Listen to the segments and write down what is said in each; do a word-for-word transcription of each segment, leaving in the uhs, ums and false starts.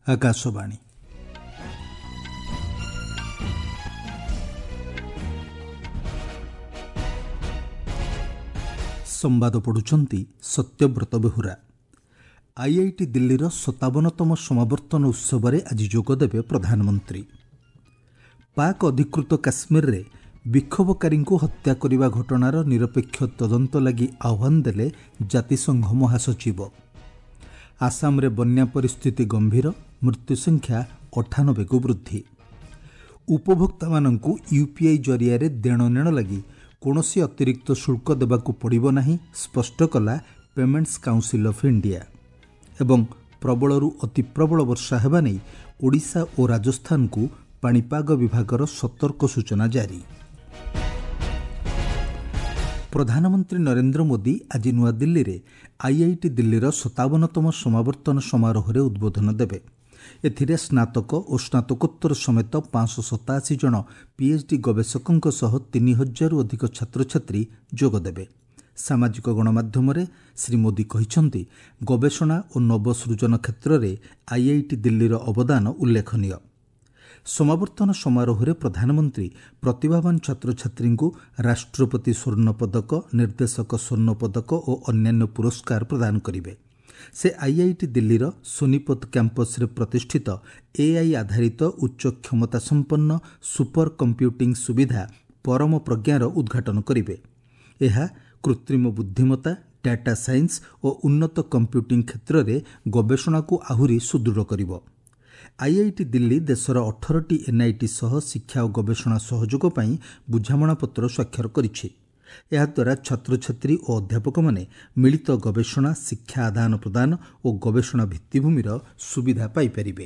ଆକାଶବାଣୀ। ସମ୍ବାଦ ପଢ଼ୁଛନ୍ତି ସତ୍ୟବ୍ରତ ବେହୁରା। ଆଇଆଇଟି ଦିଲ୍ଲୀର ସତାବନତମ ସମାବର୍ତ୍ତନ ଉତ୍ସବରେ ଆଜି ଯୋଗଦେବେ ପ୍ରଧାନମନ୍ତ୍ରୀ। ପାକ୍ ଅଧିକୃତ କାଶ୍ମୀରରେ ବିକ୍ଷୋଭକାରୀଙ୍କୁ ହତ୍ୟା କରିବା ଘଟଣାର ନିରପେକ୍ଷ ତଦନ୍ତ ଲାଗି ଆହ୍ୱାନ ଦେଲେ ଜାତିସଂଘ ମହାସଚିବ। ଆସାମରେ ବନ୍ୟା ପରିସ୍ଥିତି ଗମ୍ଭୀର, ମୃତ୍ୟୁ ସଂଖ୍ୟା ଅଠାନବେକୁ ବୃଦ୍ଧି। ଉପଭୋକ୍ତାମାନଙ୍କୁ ୟୁପିଆଇ ଜରିଆରେ ଦେଣନେଣ ଲାଗି କୌଣସି ଅତିରିକ୍ତ ଶୁଳ୍କ ଦେବାକୁ ପଡ଼ିବ ନାହିଁ, ସ୍ପଷ୍ଟ କଲା ପେମେଣ୍ଟସ୍ କାଉନସିଲ୍ ଅଫ୍ ଇଣ୍ଡିଆ। ଏବଂ ପ୍ରବଳରୁ ଅତି ପ୍ରବଳ ବର୍ଷା ହେବା ନେଇ ଓଡ଼ିଶା ଓ ରାଜସ୍ଥାନକୁ ପାଣିପାଗ ବିଭାଗର ସତର୍କ ସୂଚନା ଜାରି। ପ୍ରଧାନମନ୍ତ୍ରୀ ନରେନ୍ଦ୍ର ମୋଦି ଆଜି ନୂଆଦିଲ୍ଲୀରେ ଆଇଆଇଟି ଦିଲ୍ଲୀର ସତାବନତମ ସମାବର୍ତ୍ତନ ସମାରୋହରେ ଉଦ୍ବୋଧନ ଦେବେ। ଏଥିରେ ସ୍ନାତକ ଓ ସ୍ନାତକୋତ୍ତର ସମେତ ପାଞ୍ଚଶହ ସତାଅଶୀ ଜଣ ପିଏଚ୍ଡି ଗବେଷକଙ୍କ ସହ ତିନି ହଜାରରୁ ଅଧିକ ଛାତ୍ରଛାତ୍ରୀ ଯୋଗଦେବେ। ସାମାଜିକ ଗଣମାଧ୍ୟମରେ ଶ୍ରୀ ମୋଦି କହିଛନ୍ତି, ଗବେଷଣା ଓ ନବସୃଜନ କ୍ଷେତ୍ରରେ ଆଇଆଇଟି ଦିଲ୍ଲୀର ଅବଦାନ ଉଲ୍ଲେଖନୀୟ। ସମାବର୍ତ୍ତନ ସମାରୋହରେ ପ୍ରଧାନମନ୍ତ୍ରୀ ପ୍ରତିଭାବାନ ଛାତ୍ରଛାତ୍ରୀଙ୍କୁ ରାଷ୍ଟ୍ରପତି ସ୍ୱର୍ଣ୍ଣ ପଦକ, ନିର୍ଦ୍ଦେଶକ ସ୍ୱର୍ଣ୍ଣ ପଦକ ଓ ଅନ୍ୟାନ୍ୟ ପୁରସ୍କାର ପ୍ରଦାନ କରିବେ। ସେ ଆଇଆଇଟି ଦିଲ୍ଲୀର ସୋନିପତ କ୍ୟାମ୍ପସରେ ପ୍ରତିଷ୍ଠିତ ଏଆଇ ଆଧାରିତ ଉଚ୍ଚ କ୍ଷମତାସମ୍ପନ୍ନ ସୁପର କମ୍ପ୍ୟୁଟିଂ ସୁବିଧା ପରମ ପ୍ରଜ୍ଞାର ଉଦ୍ଘାଟନ କରିବେ। ଏହା କୃତ୍ରିମ ବୁଦ୍ଧିମତ୍ତା, ଡାଟା ସାଇନ୍ସ ଓ ଉନ୍ନତ କମ୍ପ୍ୟୁଟିଂ କ୍ଷେତ୍ରରେ ଗବେଷଣାକୁ ଆହୁରି ସୁଦୃଢ଼ କରିବ। ଆଇଆଇଟି ଦିଲ୍ଲୀ ଦେଶର ଅଠରଟି ଏନ୍ଆଇଟି ସହ ଶିକ୍ଷା ଓ ଗବେଷଣା ସହଯୋଗ ପାଇଁ ବୁଝାମଣାପତ୍ର ସ୍ୱାକ୍ଷର କରିଛି। ଏହାଦ୍ୱାରା ଛାତ୍ରଛାତ୍ରୀ ଓ ଅଧ୍ୟାପକମାନେ ମିଳିତ ଗବେଷଣା, ଶିକ୍ଷା ଆଦାନ ପ୍ରଦାନ ଓ ଗବେଷଣା ଭିତ୍ତିଭୂମିର ସୁବିଧା ପାଇପାରିବେ।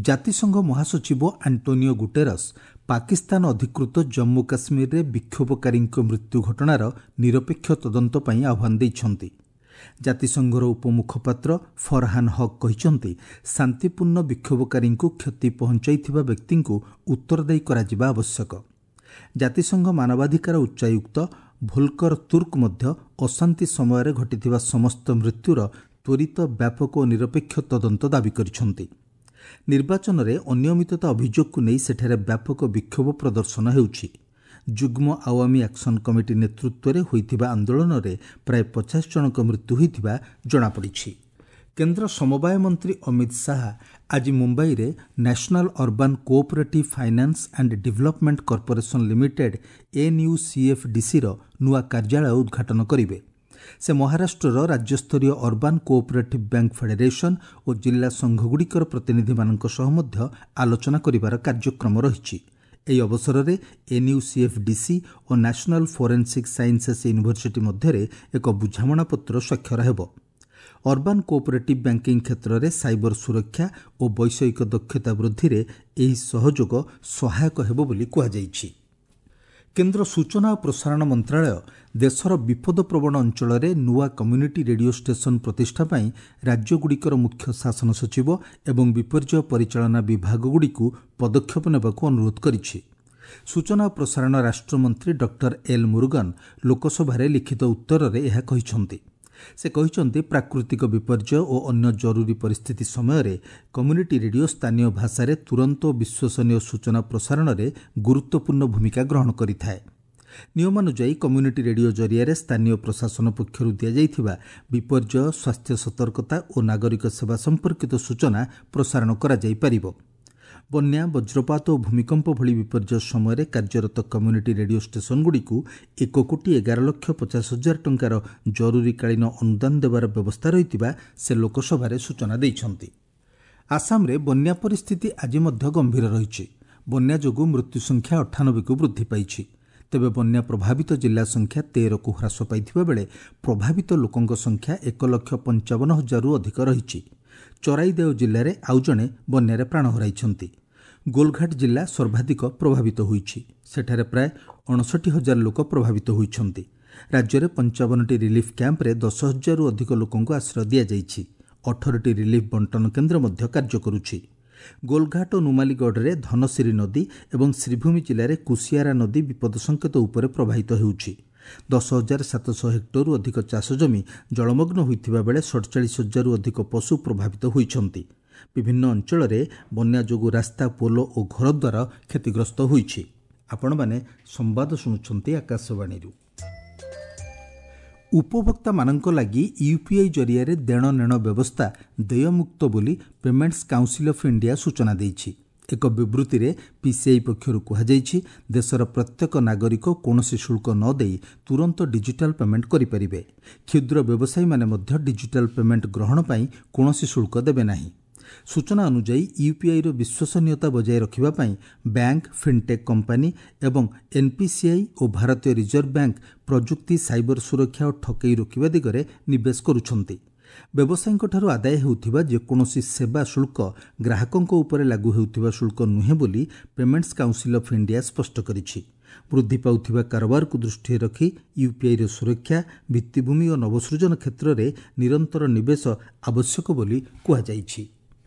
ଜାତିସଂଘ ମହାସଚିବ ଆଣ୍ଟୋନିଓ ଗୁଟେରସ୍ ପାକିସ୍ତାନ ଅଧିକୃତ ଜମ୍ମୁ କାଶ୍ମୀରରେ ବିକ୍ଷୋଭକାରୀଙ୍କ ମୃତ୍ୟୁ ଘଟଣାର ନିରପେକ୍ଷ ତଦନ୍ତ ପାଇଁ ଆହ୍ୱାନ ଦେଇଛନ୍ତି। ଜାତିସଂଘର ଉପମୁଖପାତ୍ର ଫରହାନ ହକ୍ କହିଛନ୍ତି, ଶାନ୍ତିପୂର୍ଣ୍ଣ ବିକ୍ଷୋଭକାରୀଙ୍କୁ କ୍ଷତି ପହଞ୍ଚାଇଥିବା ବ୍ୟକ୍ତିଙ୍କୁ ଉତ୍ତରଦାୟୀ କରାଯିବା ଆବଶ୍ୟକ। ଜାତିସଂଘ ମାନବାଧିକାର ଉଚ୍ଚାୟୁକ୍ତ ଭୋଲକର ତୁର୍କ ମଧ୍ୟ ଅଶାନ୍ତି ସମୟରେ ଘଟିଥିବା ସମସ୍ତ ମୃତ୍ୟୁର ତ୍ୱରିତ, ବ୍ୟାପକ ଓ ନିରପେକ୍ଷ ତଦନ୍ତ ଦାବି କରିଛନ୍ତି। ନିର୍ବାଚନରେ ଅନିୟମିତତା ଅଭିଯୋଗକୁ ନେଇ ସେଠାରେ ବ୍ୟାପକ ବିକ୍ଷୋଭ ପ୍ରଦର୍ଶନ ହେଉଛି। ଯୁଗ୍ମ ଆୱାମୀ ଆକ୍ସନ କମିଟି ନେତୃତ୍ୱରେ ହୋଇଥିବା ଆନ୍ଦୋଳନରେ ପ୍ରାୟ ପଚାଶ ଜଣଙ୍କ ମୃତ୍ୟୁ ହୋଇଥିବା ଜଣାପଡ଼ିଛି। କେନ୍ଦ୍ର ସମବାୟ ମନ୍ତ୍ରୀ ଅମିତ ଶାହା ଆଜି ମୁମ୍ବାଇରେ National Urban Cooperative Finance and Development Corporation Limited ଏନ୍ୟୁସିଏଫ୍ଡିସିର ନୂଆ କାର୍ଯ୍ୟାଳୟ ଉଦ୍ଘାଟନ କରିବେ। ସେ ମହାରାଷ୍ଟ୍ରର ରାଜ୍ୟସ୍ତରୀୟ ଅର୍ବାନ୍ କୋଅପରେଟିଭ୍ ବ୍ୟାଙ୍କ ଫେଡେରେସନ୍ ଓ ଜିଲ୍ଲା ସଂଘଗୁଡ଼ିକର ପ୍ରତିନିଧିମାନଙ୍କ ସହ ମଧ୍ୟ ଆଲୋଚନା କରିବାର କାର୍ଯ୍ୟକ୍ରମ ରହିଛି। ଏହି ଅବସରରେ ଏନ୍ୟୁସିଏଫ୍ଡିସି ଓ ନ୍ୟାସନାଲ୍ ଫୋରେନ୍ସିକ୍ ସାଇନ୍ସେସ୍ ୟୁନିଭର୍ସିଟି ମଧ୍ୟରେ ଏକ ବୁଝାମଣାପତ୍ର ସ୍ୱାକ୍ଷର ହେବ। ଅର୍ବାନ୍ କୋଅପରେଟିଭ୍ ବ୍ୟାଙ୍କିଂ କ୍ଷେତ୍ରରେ ସାଇବର ସୁରକ୍ଷା ଓ ବୈଷୟିକ ଦକ୍ଷତା ବୃଦ୍ଧିରେ ଏହି ସହଯୋଗ ସହାୟକ ହେବ ବୋଲି କୁହାଯାଇଛି। କେନ୍ଦ୍ର ସୂଚନା ଓ ପ୍ରସାରଣ ମନ୍ତ୍ରାଳୟ ଦେଶର ବିପଦପ୍ରବଣ ଅଞ୍ଚଳରେ ନୂଆ କମ୍ୟୁନିଟି ରେଡିଓ ଷ୍ଟେସନ ପ୍ରତିଷ୍ଠା ପାଇଁ ରାଜ୍ୟଗୁଡ଼ିକର ମୁଖ୍ୟ ଶାସନ ସଚିବ ଏବଂ ବିପର୍ଯ୍ୟୟ ପରିଚାଳନା ବିଭାଗଗୁଡ଼ିକୁ ପଦକ୍ଷେପ ନେବାକୁ ଅନୁରୋଧ କରିଛି। ସୂଚନା ଓ ପ୍ରସାରଣ ରାଷ୍ଟ୍ରମନ୍ତ୍ରୀ ଡକ୍ଟର ଏଲ୍ ମୁରୁଗନ ଲୋକସଭାରେ ଲିଖିତ ଉତ୍ତରରେ ଏହା କହିଛନ୍ତି। ସେ କହିଛନ୍ତି, ପ୍ରାକୃତିକ ବିପର୍ଯ୍ୟୟ ଓ ଅନ୍ୟ ଜରୁରୀ ପରିସ୍ଥିତି ସମୟରେ କମ୍ୟୁନିଟି ରେଡିଓ ସ୍ଥାନୀୟ ଭାଷାରେ ତୁରନ୍ତ ଓ ବିଶ୍ୱସନୀୟ ସୂଚନା ପ୍ରସାରଣରେ ଗୁରୁତ୍ୱପୂର୍ଣ୍ଣ ଭୂମିକା ଗ୍ରହଣ କରିଥାଏ। ନିୟମାନୁଯାୟୀ କମ୍ୟୁନିଟି ରେଡିଓ ଜରିଆରେ ସ୍ଥାନୀୟ ପ୍ରଶାସନ ପକ୍ଷରୁ ଦିଆଯାଇଥିବା ବିପର୍ଯ୍ୟୟ, ସ୍ୱାସ୍ଥ୍ୟ ସତର୍କତା ଓ ନାଗରିକ ସେବା ସମ୍ପର୍କିତ ସୂଚନା ପ୍ରସାରଣ କରାଯାଇପାରିବ। ବନ୍ୟା, ବଜ୍ରପାତ ଓ ଭୂମିକମ୍ପ ଭଳି ବିପର୍ଯ୍ୟୟ ସମୟରେ କାର୍ଯ୍ୟରତ କମ୍ୟୁନିଟି ରେଡିଓ ଷ୍ଟେସନଗୁଡ଼ିକୁ ଏକ କୋଟି ଏଗାର ଲକ୍ଷ ପଚାଶ ହଜାର ଟଙ୍କାର ଜରୁରୀକାଳୀନ ଅନୁଦାନ ଦେବାର ବ୍ୟବସ୍ଥା ରହିଥିବା ସେ ଲୋକସଭାରେ ସୂଚନା ଦେଇଛନ୍ତି। ଆସାମରେ ବନ୍ୟା ପରିସ୍ଥିତି ଆଜି ମଧ୍ୟ ଗମ୍ଭୀର ରହିଛି। ବନ୍ୟା ଯୋଗୁଁ ମୃତ୍ୟୁ ସଂଖ୍ୟା ଅଠାନବେକୁ ବୃଦ୍ଧି ପାଇଛି। ତେବେ ବନ୍ୟା ପ୍ରଭାବିତ ଜିଲ୍ଲା ସଂଖ୍ୟା ତେରକୁ ହ୍ରାସ ପାଇଥିବା ବେଳେ ପ୍ରଭାବିତ ଲୋକଙ୍କ ସଂଖ୍ୟା ଏକ ଲକ୍ଷ ପଞ୍ଚାବନ ହଜାରରୁ ଅଧିକ ରହିଛି। ଚରାଇଦେଓ ଜିଲ୍ଲାରେ ଆଉ ଜଣେ ବନ୍ୟାରେ ପ୍ରାଣ ହରାଇଛନ୍ତି। ଗୋଲଘାଟ ଜିଲ୍ଲା ସର୍ବାଧିକ ପ୍ରଭାବିତ ହୋଇଛି। ସେଠାରେ ପ୍ରାୟ ଅଣଷଠି ହଜାର ଲୋକ ପ୍ରଭାବିତ ହୋଇଛନ୍ତି। ରାଜ୍ୟରେ ପଞ୍ଚାବନଟି ରିଲିଫ୍ କ୍ୟାମ୍ପରେ ଦଶ ହଜାରରୁ ଅଧିକ ଲୋକଙ୍କୁ ଆଶ୍ରୟ ଦିଆଯାଇଛି। ଅଠରଟି ରିଲିଫ୍ ବଣ୍ଟନ କେନ୍ଦ୍ର ମଧ୍ୟ କାର୍ଯ୍ୟ କରୁଛି। ଗୋଲଘାଟ ଓ ନୁମାଲିଗଡ଼ରେ ଧନସିରି ନଦୀ ଏବଂ ଶ୍ରୀଭୂମି ଜିଲ୍ଲାରେ କୁସିଆରା ନଦୀ ବିପଦ ସଙ୍କେତ ଉପରେ ପ୍ରବାହିତ ହେଉଛି। ଦଶ ହଜାର ସାତଶହ ହେକ୍ଟରରୁ ଅଧିକ ଚାଷ ଜମି ଜଳମଗ୍ନ ହୋଇଥିବା ବେଳେ ସଡ଼ଚାଳିଶ ହଜାରରୁ ଅଧିକ ପଶୁ ପ୍ରଭାବିତ ହୋଇଛନ୍ତି। ବିଭିନ୍ନ ଅଞ୍ଚଳରେ ବନ୍ୟା ଯୋଗୁଁ ରାସ୍ତା, ପୋଲ ଓ ଘରଦ୍ୱାର କ୍ଷତିଗ୍ରସ୍ତ ହୋଇଛି। ଆପଣମାନେ ସମ୍ବାଦ ଶୁଣୁଛନ୍ତି ଆକାଶବାଣୀରୁ। ଉପଭୋକ୍ତାମାନଙ୍କ ଲାଗି ୟୁପିଆଇ ଜରିଆରେ ଦେଣନେଣ ବ୍ୟବସ୍ଥା ଦେୟମୁକ୍ତ ବୋଲି ପେମେଣ୍ଟସ୍ କାଉନ୍ସିଲ୍ ଅଫ୍ ଇଣ୍ଡିଆ ସୂଚନା ଦେଇଛି। ଏକ ବିବୃତ୍ତିରେ ପିସିଆଇ ପକ୍ଷରୁ କୁହାଯାଇଛି, ଦେଶର ପ୍ରତ୍ୟେକ ନାଗରିକ କୌଣସି ଶୁଳ୍କ ନ ଦେଇ ତୁରନ୍ତ ଡିଜିଟାଲ୍ ପେମେଣ୍ଟ କରିପାରିବେ। କ୍ଷୁଦ୍ର ବ୍ୟବସାୟୀମାନେ ମଧ୍ୟ ଡିଜିଟାଲ୍ ପେମେଣ୍ଟ ଗ୍ରହଣ ପାଇଁ କୌଣସି ଶୁଳ୍କ ଦେବେ ନାହିଁ। ସୂଚନା ଅନୁଯାୟୀ, ୟୁପିଆଇର ବିଶ୍ୱସନୀୟତା ବଜାୟ ରଖିବା ପାଇଁ ବ୍ୟାଙ୍କ, ଫିନ୍ଟେକ୍ କମ୍ପାନୀ ଏବଂ ଏନ୍ପିସିଆଇ ଓ ଭାରତୀୟ ରିଜର୍ଭ ବ୍ୟାଙ୍କ ପ୍ରଯୁକ୍ତି, ସାଇବର ସୁରକ୍ଷା ଓ ଠକେଇ ରୋକିବା ଦିଗରେ ନିବେଶ କରୁଛନ୍ତି। ବ୍ୟବସାୟୀଙ୍କଠାରୁ ଆଦାୟ ହେଉଥିବା ଯେକୌଣସି ସେବା ଶୁଳ୍କ ଗ୍ରାହକଙ୍କ ଉପରେ ଲାଗୁ ହେଉଥିବା ଶୁଳ୍କ ନୁହେଁ ବୋଲି ପେମେଣ୍ଟସ୍ କାଉନ୍ସିଲ୍ ଅଫ୍ ଇଣ୍ଡିଆ ସ୍ପଷ୍ଟ କରିଛି। ବୃଦ୍ଧି ପାଉଥିବା କାରବାରକୁ ଦୃଷ୍ଟିରେ ରଖି ୟୁପିଆଇର ସୁରକ୍ଷା, ଭିତ୍ତିଭୂମି ଓ ନବସୃଜନ କ୍ଷେତ୍ରରେ ନିରନ୍ତର ନିବେଶ ଆବଶ୍ୟକ ବୋଲି କୁହାଯାଇଛି।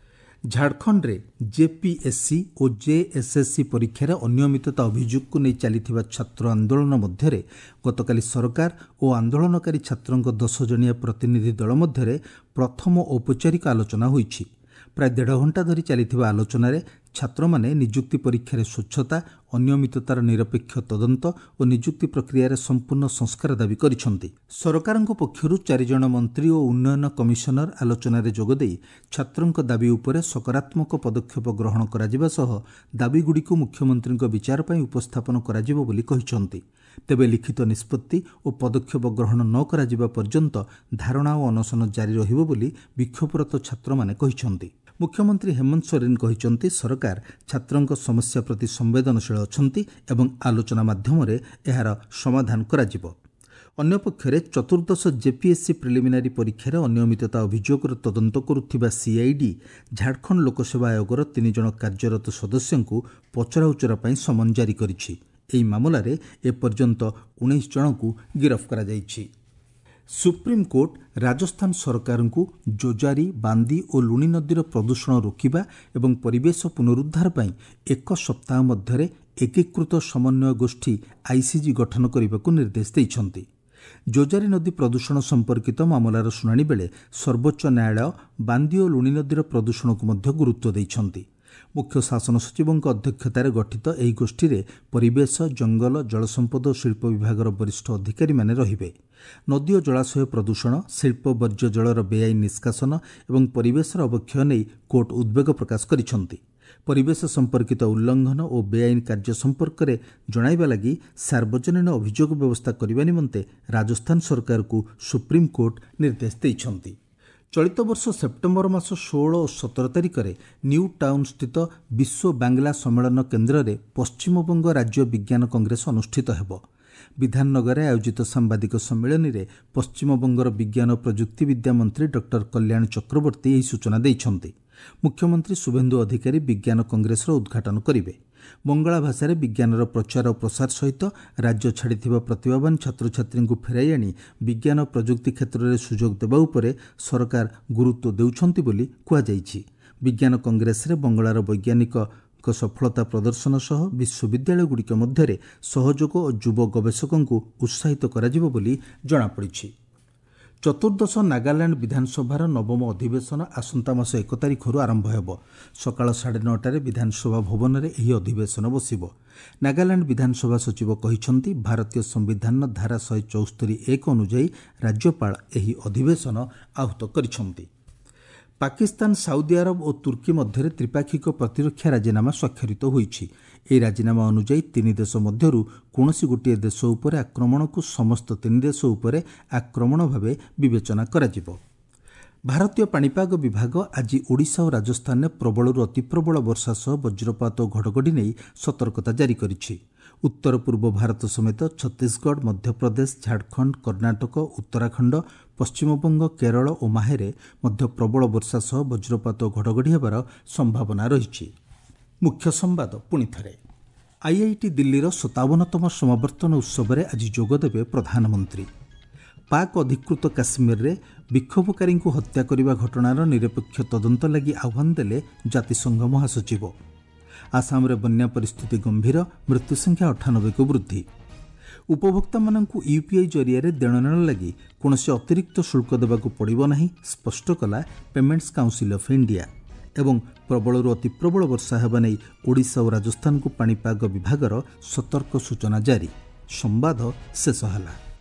ଝାଡ଼ଖଣ୍ଡରେ ଜେପିଏସ୍ସି ଓ ଜେଏସ୍ଏସ୍ସି ପରୀକ୍ଷାରେ ଅନିୟମିତତା ଅଭିଯୋଗକୁ ନେଇ ଚାଲିଥିବା ଛାତ୍ର ଆନ୍ଦୋଳନ ମଧ୍ୟରେ ଗତକାଲି ସରକାର ଓ ଆନ୍ଦୋଳନକାରୀ ଛାତ୍ରଙ୍କ ଦଶ ଜଣିଆ ପ୍ରତିନିଧି ଦଳ ମଧ୍ୟରେ ପ୍ରଥମ ଔପଚାରିକ ଆଲୋଚନା ହୋଇଛି। ପ୍ରାୟ ଦେଢ଼ ଘଣ୍ଟା ଧରି ଚାଲିଥିବା ଆଲୋଚନାରେ ଛାତ୍ରମାନେ ନିଯୁକ୍ତି ପରୀକ୍ଷାରେ ସ୍ୱଚ୍ଛତା, ଅନିୟମିତତାର ନିରପେକ୍ଷ ତଦନ୍ତ ଓ ନିଯୁକ୍ତି ପ୍ରକ୍ରିୟାରେ ସମ୍ପୂର୍ଣ୍ଣ ସଂସ୍କାର ଦାବି କରିଛନ୍ତି। ସରକାରଙ୍କ ପକ୍ଷରୁ ଚାରିଜଣ ମନ୍ତ୍ରୀ ଓ ଉନ୍ନୟନ କମିଶନର ଆଲୋଚନାରେ ଯୋଗଦେଇ ଛାତ୍ରଙ୍କ ଦାବି ଉପରେ ସକାରାତ୍ମକ ପଦକ୍ଷେପ ଗ୍ରହଣ କରାଯିବା ସହ ଦାବିଗୁଡ଼ିକୁ ମୁଖ୍ୟମନ୍ତ୍ରୀଙ୍କ ବିଚାର ପାଇଁ ଉପସ୍ଥାପନ କରାଯିବ ବୋଲି କହିଛନ୍ତି। ତେବେ ଲିଖିତ ନିଷ୍ପତ୍ତି ଓ ପଦକ୍ଷେପ ଗ୍ରହଣ ନ କରାଯିବା ପର୍ଯ୍ୟନ୍ତ ଧାରଣା ଓ ଅନଶନ ଜାରି ରହିବ ବୋଲି ବିକ୍ଷୋଭରତ ଛାତ୍ରମାନେ କହିଛନ୍ତି। ମୁଖ୍ୟମନ୍ତ୍ରୀ ହେମନ୍ତ ସୋରେନ କହିଛନ୍ତି, ସରକାର ଛାତ୍ରଙ୍କ ସମସ୍ୟା ପ୍ରତି ସମ୍ବେଦନଶୀଳ ଅଛନ୍ତି ଏବଂ ଆଲୋଚନା ମାଧ୍ୟମରେ ଏହାର ସମାଧାନ କରାଯିବ। ଅନ୍ୟପକ୍ଷରେ ଚତୁର୍ଦ୍ଦଶ ଜେପିଏସ୍ସି ପ୍ରିଲିମିନାରୀ ପରୀକ୍ଷାରେ ଅନିୟମିତତା ଅଭିଯୋଗର ତଦନ୍ତ କରୁଥିବା ସିଆଇଡି ଝାଡ଼ଖଣ୍ଡ ଲୋକସେବା ଆୟୋଗର ତିନି ଜଣ କାର୍ଯ୍ୟରତ ସଦସ୍ୟଙ୍କୁ ପଚରାଉଚରା ପାଇଁ ସମନ ଜାରି କରିଛି। ଏହି ମାମଲାରେ ଏପର୍ଯ୍ୟନ୍ତ ଉଣେଇଶ ଜଣଙ୍କୁ ଗିରଫ କରାଯାଇଛି। ସୁପ୍ରିମକୋର୍ଟ ରାଜସ୍ଥାନ ସରକାରଙ୍କୁ ଜୋଜାରୀ, ବାନ୍ଦି ଓ ଲୁଣି ନଦୀର ପ୍ରଦୂଷଣ ରୋକିବା ଏବଂ ପରିବେଶ ପୁନରୁଦ୍ଧାର ପାଇଁ ଏକ ସପ୍ତାହ ମଧ୍ୟରେ ଏକୀକୃତ ସମନ୍ୱୟ ଗୋଷ୍ଠୀ ଆଇସିଜି ଗଠନ କରିବାକୁ ନିର୍ଦ୍ଦେଶ ଦେଇଛନ୍ତି। ଜୋଜାରୀ ନଦୀ ପ୍ରଦୂଷଣ ସମ୍ପର୍କିତ ମାମଲାର ଶୁଣାଣି ବେଳେ ସର୍ବୋଚ୍ଚ ନ୍ୟାୟାଳୟ ବାନ୍ଦି ଓ ଲୁଣି ନଦୀର ପ୍ରଦୂଷଣକୁ ମଧ୍ୟ ଗୁରୁତ୍ୱ ଦେଇଛନ୍ତି। ମୁଖ୍ୟ ଶାସନ ସଚିବଙ୍କ ଅଧ୍ୟକ୍ଷତାରେ ଗଠିତ ଏହି ଗୋଷ୍ଠୀରେ ପରିବେଶ, ଜଙ୍ଗଲ, ଜଳସମ୍ପଦ ଓ ଶିଳ୍ପ ବିଭାଗର ବରିଷ୍ଠ ଅଧିକାରୀମାନେ ରହିବେ। ନଦୀ ଓ ଜଳାଶୟ ପ୍ରଦୂଷଣ, ଶିଳ୍ପ ବର୍ଜ୍ୟ ଜଳର ବେଆଇନ ନିଷ୍କାସନ ଏବଂ ପରିବେଶର ଅବକ୍ଷୟ ନେଇ କୋର୍ଟ ଉଦ୍ବେଗ ପ୍ରକାଶ କରିଛନ୍ତି। ପରିବେଶ ସମ୍ପର୍କିତ ଉଲ୍ଲଂଘନ ଓ ବେଆଇନ କାର୍ଯ୍ୟ ସମ୍ପର୍କରେ ଜଣାଇବା ଲାଗି ସାର୍ବଜନୀନ ଅଭିଯୋଗ ବ୍ୟବସ୍ଥା କରିବା ନିମନ୍ତେ ରାଜସ୍ଥାନ ସରକାରକୁ ସୁପ୍ରିମକୋର୍ଟ ନିର୍ଦ୍ଦେଶ ଦେଇଛନ୍ତି। ଚଳିତ ବର୍ଷ ସେପ୍ଟେମ୍ବର ମାସ ଷୋହଳ ଓ ସତର ତାରିଖରେ ନ୍ୟୁ ଟାଉନ୍ ସ୍ଥିତ ବିଶ୍ୱ ବାଂଲା ସମ୍ମେଳନ କେନ୍ଦ୍ରରେ ପଶ୍ଚିମବଙ୍ଗ ରାଜ୍ୟ ବିଜ୍ଞାନ କଂଗ୍ରେସ ଅନୁଷ୍ଠିତ ହେବ। ବିଧାନନଗରରେ ଆୟୋଜିତ ସାମ୍ବାଦିକ ସମ୍ମିଳନୀରେ ପଶ୍ଚିମବଙ୍ଗର ବିଜ୍ଞାନ ଓ ପ୍ରଯୁକ୍ତିବିଦ୍ୟା ମନ୍ତ୍ରୀ ଡକ୍ଟର କଲ୍ୟାଣ ଚକ୍ରବର୍ତ୍ତୀ ଏହି ସୂଚନା ଦେଇଛନ୍ତି। ମୁଖ୍ୟମନ୍ତ୍ରୀ ଶୁଭେନ୍ଦୁ ଅଧିକାରୀ ବିଜ୍ଞାନ କଂଗ୍ରେସର ଉଦ୍ଘାଟନ କରିବେ। ବଙ୍ଗଳା ଭାଷାରେ ବିଜ୍ଞାନର ପ୍ରଚାର ଓ ପ୍ରସାର ସହିତ ରାଜ୍ୟ ଛାଡ଼ିଥିବା ପ୍ରତିଭାବାନ ଛାତ୍ରଛାତ୍ରୀଙ୍କୁ ଫେରାଇ ଆଣି ବିଜ୍ଞାନ ଓ ପ୍ରଯୁକ୍ତି କ୍ଷେତ୍ରରେ ସୁଯୋଗ ଦେବା ଉପରେ ସରକାର ଗୁରୁତ୍ୱ ଦେଉଛନ୍ତି ବୋଲି କୁହାଯାଇଛି। ବିଜ୍ଞାନ କଂଗ୍ରେସରେ ବଙ୍ଗଳାର ବୈଜ୍ଞାନିକଙ୍କ ସଫଳତା ପ୍ରଦର୍ଶନ ସହ ବିଶ୍ୱବିଦ୍ୟାଳୟଗୁଡ଼ିକ ମଧ୍ୟରେ ସହଯୋଗ ଓ ଯୁବ ଗବେଷକଙ୍କୁ ଉତ୍ସାହିତ କରାଯିବ ବୋଲି ଜଣାପଡ଼ିଛି। ଚତୁର୍ଦ୍ଦଶ ନାଗାଲାଣ୍ଡ ବିଧାନସଭାର ନବମ ଅଧିବେଶନ ଆସନ୍ତା ମାସ ଏକ ତାରିଖରୁ ଆରମ୍ଭ ହେବ। ସକାଳ ସାଢ଼େ ନଅଟାରେ ବିଧାନସଭା ଭବନରେ ଏହି ଅଧିବେଶନ ବସିବ। ନାଗାଲାଣ୍ଡ ବିଧାନସଭା ସଚିବ କହିଛନ୍ତି, ଭାରତୀୟ ସମ୍ବିଧାନର ଧାରା ଶହେ ଚଉସ୍ତରୀ ଏକ ଅନୁଯାୟୀ ରାଜ୍ୟପାଳ ଏହି ଅଧିବେଶନ ଆହୁତ କରିଛନ୍ତି। ପାକିସ୍ତାନ, ସାଉଦି ଆରବ ଓ ତୁର୍କୀ ମଧ୍ୟରେ ତ୍ରିପାକ୍ଷିକ ପ୍ରତିରକ୍ଷା ରାଜିନାମା ସ୍ୱାକ୍ଷରିତ ହୋଇଛି। ଏହି ରାଜିନାମା ଅନୁଯାୟୀ ତିନି ଦେଶ ମଧ୍ୟରୁ କୌଣସି ଗୋଟିଏ ଦେଶ ଉପରେ ଆକ୍ରମଣକୁ ସମସ୍ତ ତିନି ଦେଶ ଉପରେ ଆକ୍ରମଣ ଭାବେ ବିବେଚନା କରାଯିବ। ଭାରତୀୟ ପାଣିପାଗ ବିଭାଗ ଆଜି ଓଡ଼ିଶା ଓ ରାଜସ୍ଥାନରେ ପ୍ରବଳରୁ ଅତିପ୍ରବଳ ବର୍ଷା ସହ ବଜ୍ରପାତ ଓ ଘଡ଼ଘଡ଼ି ନେଇ ସତର୍କତା ଜାରି କରିଛି। ଉତ୍ତର ପୂର୍ବ ଭାରତ ସମେତ ଛତିଶଗଡ଼, ମଧ୍ୟପ୍ରଦେଶ, ଝାଡ଼ଖଣ୍ଡ, କର୍ଣ୍ଣାଟକ, ଉତ୍ତରାଖଣ୍ଡ, ପଶ୍ଚିମବଙ୍ଗ, କେରଳ ଓ ମାହେରେ ମଧ୍ୟ ପ୍ରବଳ ବର୍ଷା ସହ ବଜ୍ରପାତ ଓ ଘଡ଼ଘଡ଼ି ହେବାର ସମ୍ଭାବନା ରହିଛି। ମୁଖ୍ୟ ସମ୍ବାଦ ପୁଣି ଥରେ। ଆଇଆଇଟି ଦିଲ୍ଲୀର ସତାବନତମ ସମାବର୍ତ୍ତନ ଉତ୍ସବରେ ଆଜି ଯୋଗଦେବେ ପ୍ରଧାନମନ୍ତ୍ରୀ। ପାକ୍ ଅଧିକୃତ କାଶ୍ମୀରରେ ବିକ୍ଷୋଭକାରୀଙ୍କୁ ହତ୍ୟା କରିବା ଘଟଣାର ନିରପେକ୍ଷ ତଦନ୍ତ ଲାଗି ଆହ୍ୱାନ ଦେଲେ ଜାତିସଂଘ ମହାସଚିବ। ଆସାମରେ ବନ୍ୟା ପରିସ୍ଥିତି ଗମ୍ଭୀର, ମୃତ୍ୟୁ ସଂଖ୍ୟା ଅଠାନବେକୁ ବୃଦ୍ଧି। ଉପଭୋକ୍ତାମାନଙ୍କୁ ୟୁପିଆଇ ଜରିଆରେ ଦେଣନେଣ ଲାଗି କୌଣସି ଅତିରିକ୍ତ ଶୁଳ୍କ ଦେବାକୁ ପଡ଼ିବ ନାହିଁ, ସ୍ପଷ୍ଟ କଲା ପେମେଣ୍ଟସ୍ କାଉନ୍ସିଲ୍ ଅଫ୍ ଇଣ୍ଡିଆ। ଏବଂ ପ୍ରବଳରୁ ଅତିପ୍ରବଳ ବର୍ଷା ହେବା ନେଇ ଓଡ଼ିଶା ଓ ରାଜସ୍ଥାନକୁ ପାଣିପାଗ ବିଭାଗର ସତର୍କ ସୂଚନା ଜାରି। ସମ୍ବାଦ ଶେଷ ହେଲା।